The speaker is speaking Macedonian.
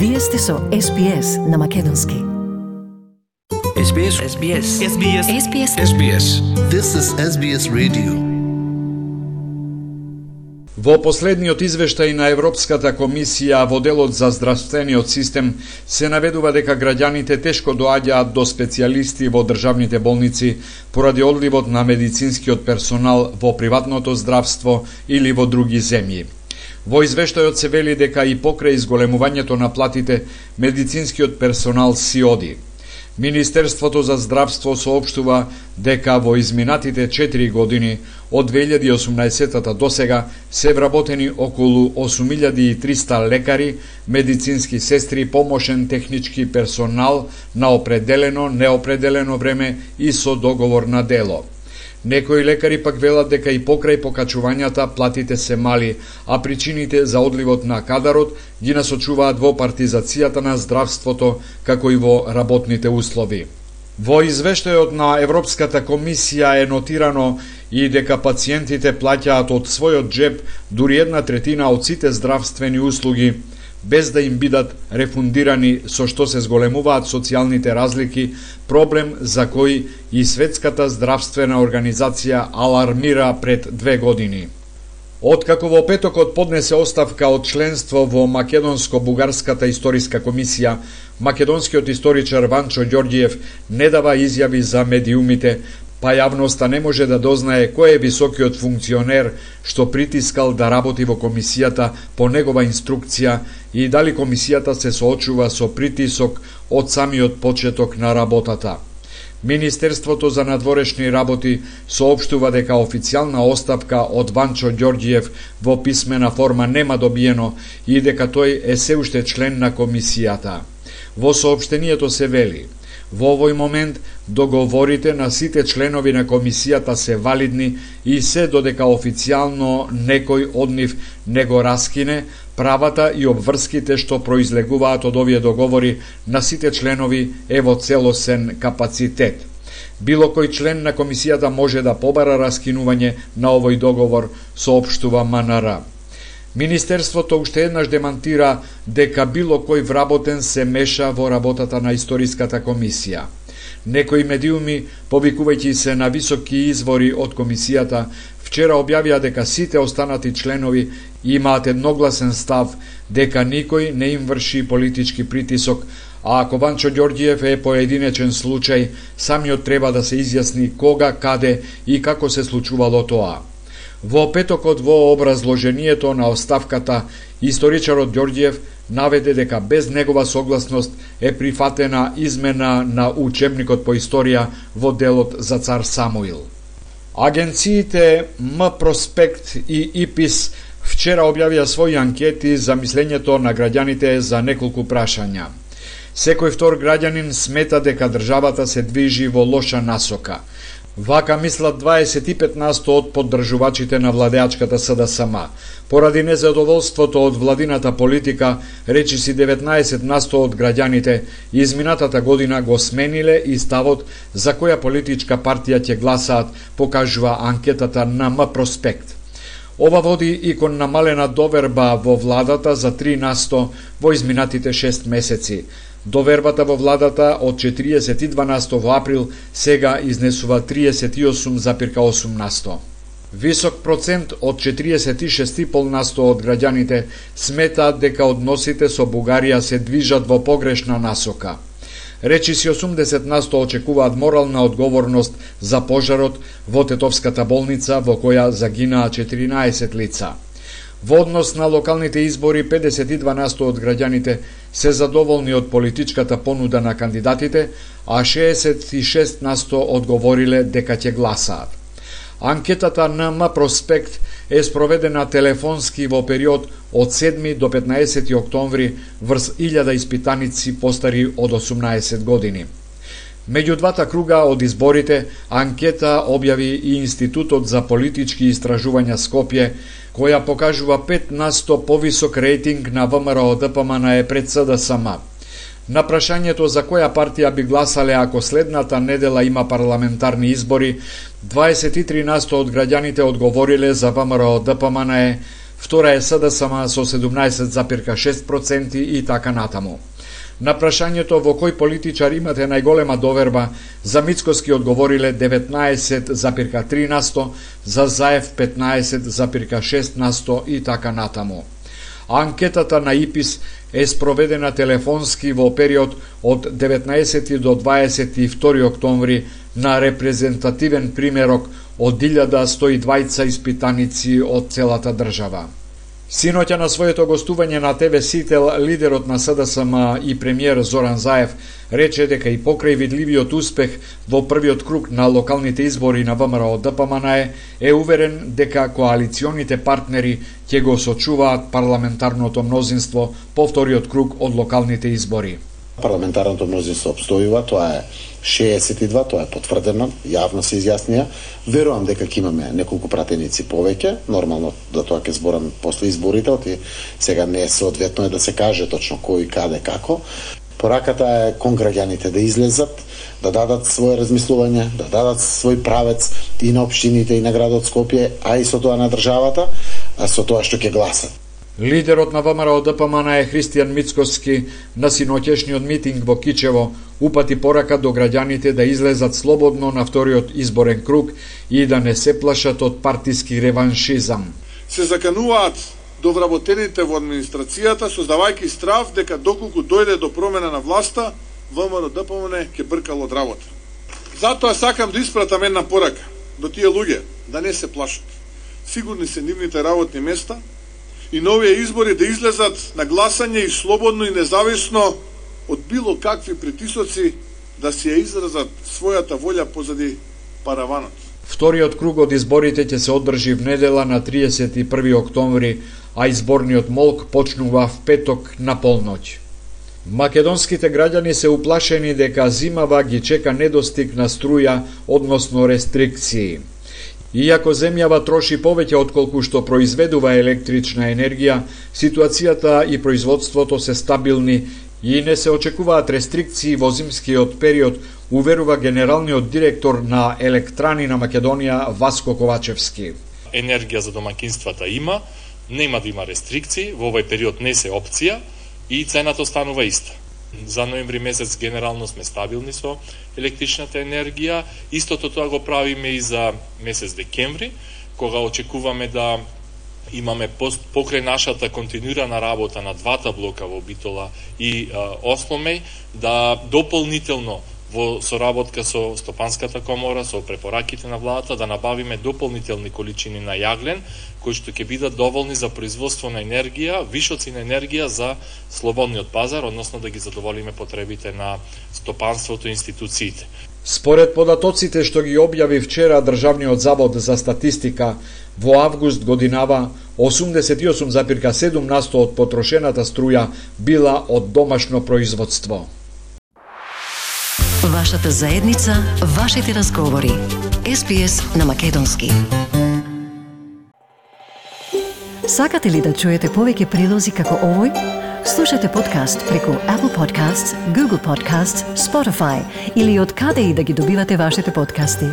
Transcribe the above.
Вие сте со SBS на македонски. SBS. This is SBS Radio. Во последниот извештај на Европската комисија во делот за здравствениот систем се наведува дека граѓаните тешко доаѓаат до специјалисти во државните болници поради одливот на медицинскиот персонал во приватното здравство или во други земји. Во извештајот се вели дека и покрај изголемувањето на платите, медицинскиот персонал си оди. Министерството за здравство соопштува дека во изминатите 4 години од 2018 до сега се вработени околу 8300 лекари, медицински сестри, помошен технички персонал на определено, неопределено време и со договор на дело. Некои лекари пак велат дека и покрај покачувањата платите се мали, а причините за одливот на кадарот ги насочуваат во партизацијата на здравството, како и во работните услови. Во извештајот на Европската комисија е нотирано и дека пациентите плаќаат од својот джеб дури 1/3 од сите здравствени услуги, без да им бидат рефундирани, со што се зголемуваат социјалните разлики, проблем за кој и Светската здравствена организација алармира пред 2 години. Откако во петокот поднесе оставка од членство во Македонско-Бугарската историска комисија, македонскиот историчар Ванчо Ѓорѓиев не дава изјави за медиумите, па јавноста не може да дознае кој е високиот функционер што притискал да работи во комисијата по негова инструкција и дали комисијата се соочува со притисок од самиот почеток на работата. Министерството за надворешни работи соопштува дека официјална оставка од Ванчо Ѓорѓиев во писмена форма нема добиено и дека тој е се уште член на комисијата. Во соопштението се вели: во овој момент договорите на сите членови на комисијата се валидни и се додека официјално некој од нив не го раскине, правата и обврските што произлегуваат од овие договори на сите членови е во целосен капацитет. Било кој член на комисијата може да побара раскинување на овој договор, соопштува МНР. Министерството уште еднаш демантира дека било кој вработен се меша во работата на историската комисија. Некои медиуми, повикувајќи се на високи извори од комисијата, вчера објавија дека сите останати членови имаат едногласен став дека никој не им врши политички притисок, а ако Ванчо Ѓорѓиев е поединечен случај, самиот треба да се изјасни кога, каде и како се случувало тоа. Во петокот во образложението на оставката, историчарот Ѓорѓиев наведе дека без негова согласност е прифатена измена на учебникот по историја во делот за цар Самуил. Агенциите М-Проспект и ИПИС вчера објавија своји анкети за мислењето на граѓаните за неколку прашања. Секој втор граѓанин смета дека државата се движи во лоша насока. Вака мислат 25% од поддржувачите на владеачката СДСМ. Поради незадоволството од владината политика, речиси 19% од граѓаните изминатата година го смениле и ставот за која политичка партија ќе гласаат, покажува анкетата на М-Проспект. Ова води и кон намалена доверба во владата за 3% во изминатите 6 месеци. Довербата во владата од 42% во април сега изнесува 38,8%. Висок процент од 46,5% од граѓаните сметаат дека односите со Бугарија се движат во погрешна насока. Речиси 80% очекуваат морална одговорност за пожарот во Тетовската болница во која загинаа 14 лица. Во однос на локалните избори, 52% од граѓаните се задоволни од политичката понуда на кандидатите, а 66% одговориле дека ќе гласаат. Анкетата на М-Проспект е спроведена телефонски во период од 7 до 15 октомври врз 1000 испитаници постари од 18 години. Меѓу двата круга од изборите, анкета објави и Институтот за политички истражувања Скопје, која покажува 5% повисок рейтинг на ВМРО-ДПМН пред СДСМ. На прашањето за која партија би гласале ако следната недела има парламентарни избори, 23% од граѓаните одговориле за ВМРО-ДПМН, втора е СДСМ со 17,6% и така натаму. На прашањето во кој политичар имате најголема доверба, за Мицкоски одговориле 19,3%, за Заев 15,6% и така натаму. Анкетата на ИПИС е спроведена телефонски во период од 19 до 22 октомври на репрезентативен примерок од 1120 испитаници од целата држава. Синоќа на своето гостување на ТВ Сител, лидерот на СДСМ и премиер Зоран Заев рече дека и покрај видливиот успех во првиот круг на локалните избори на ВМРО ДПМН е уверен дека коалиционите партнери ќе го сочуваат парламентарното мнозинство по вториот круг од локалните избори. Парламентарното мнозинство обстојува, тоа е 62, тоа е потврдено, јавно се изјаснија. Верувам дека ќе имаме неколку пратеници повеќе, нормално да тоа ќе зборам после изборите, оти сега не е соодветно да се каже точно кој, каде, како. Пораката е кон граѓаните да излезат, да дадат своје размислување, да дадат свој правец и на општините и на градот Скопје, а и со тоа на државата, а со тоа што ќе гласат. Лидерот на ВМРО ДПМН е Христијан Мицкоски на синоќешниот митинг во Кичево упати порака до граѓаните да излезат слободно на вториот изборен круг и да не се плашат од партиски реваншизам. Се закануваат до вработените во администрацијата, создавајќи страв дека доколку дојде до промена на власта, ВМРО ДПМН ќе бркал од работа. Затоа сакам да испратам една порака до тие луѓе да не се плашат. Сигурни се нивните работни места и на овие избори да излезат на гласање и слободно и независно од било какви притисоци да си ја изразат својата волја позади параванот. Вториот круг од изборите ќе се одржи в недела на 31 октомври, а изборниот молк почнува в петок на полноќ. Македонските граѓани се уплашени дека зимава ги чека недостиг на струја, односно рестрикции. Иако земјава троши повеќе отколку што произведува електрична енергија, ситуацијата и производството се стабилни и не се очекуваат рестрикции во зимскиот период, уверува генералниот директор на Електрани на Македонија Васко Ковачевски. Енергија за домакинствата има, нема да има рестрикции, во овој период не се опција и цената останува иста. За ноември месец генерално сме стабилни со електричната енергија. Истото тоа го правиме и за месец декември, кога очекуваме да имаме покрај нашата континуирана работа на двата блока во Битола и Осломеј, да дополнително во соработка со Стопанската комора, со препораките на владата, да набавиме дополнителни количини на јаглен, кои што ќе бидат доволни за производство на енергија, вишоци на енергија за слободниот пазар, односно да ги задоволиме потребите на стопанството и институциите. Според податоците што ги објави вчера Државниот завод за статистика, во август годинава 88,7% од потрошената струја била од домашно производство. Вашата заедница, вашите разговори. SPS на Македонски. Сакате ли да чуете повеќе прилози како овој? Слушате подкаст преку Apple Podcasts, Google Podcasts, Spotify или од каде и да ги добивате вашите подкасти.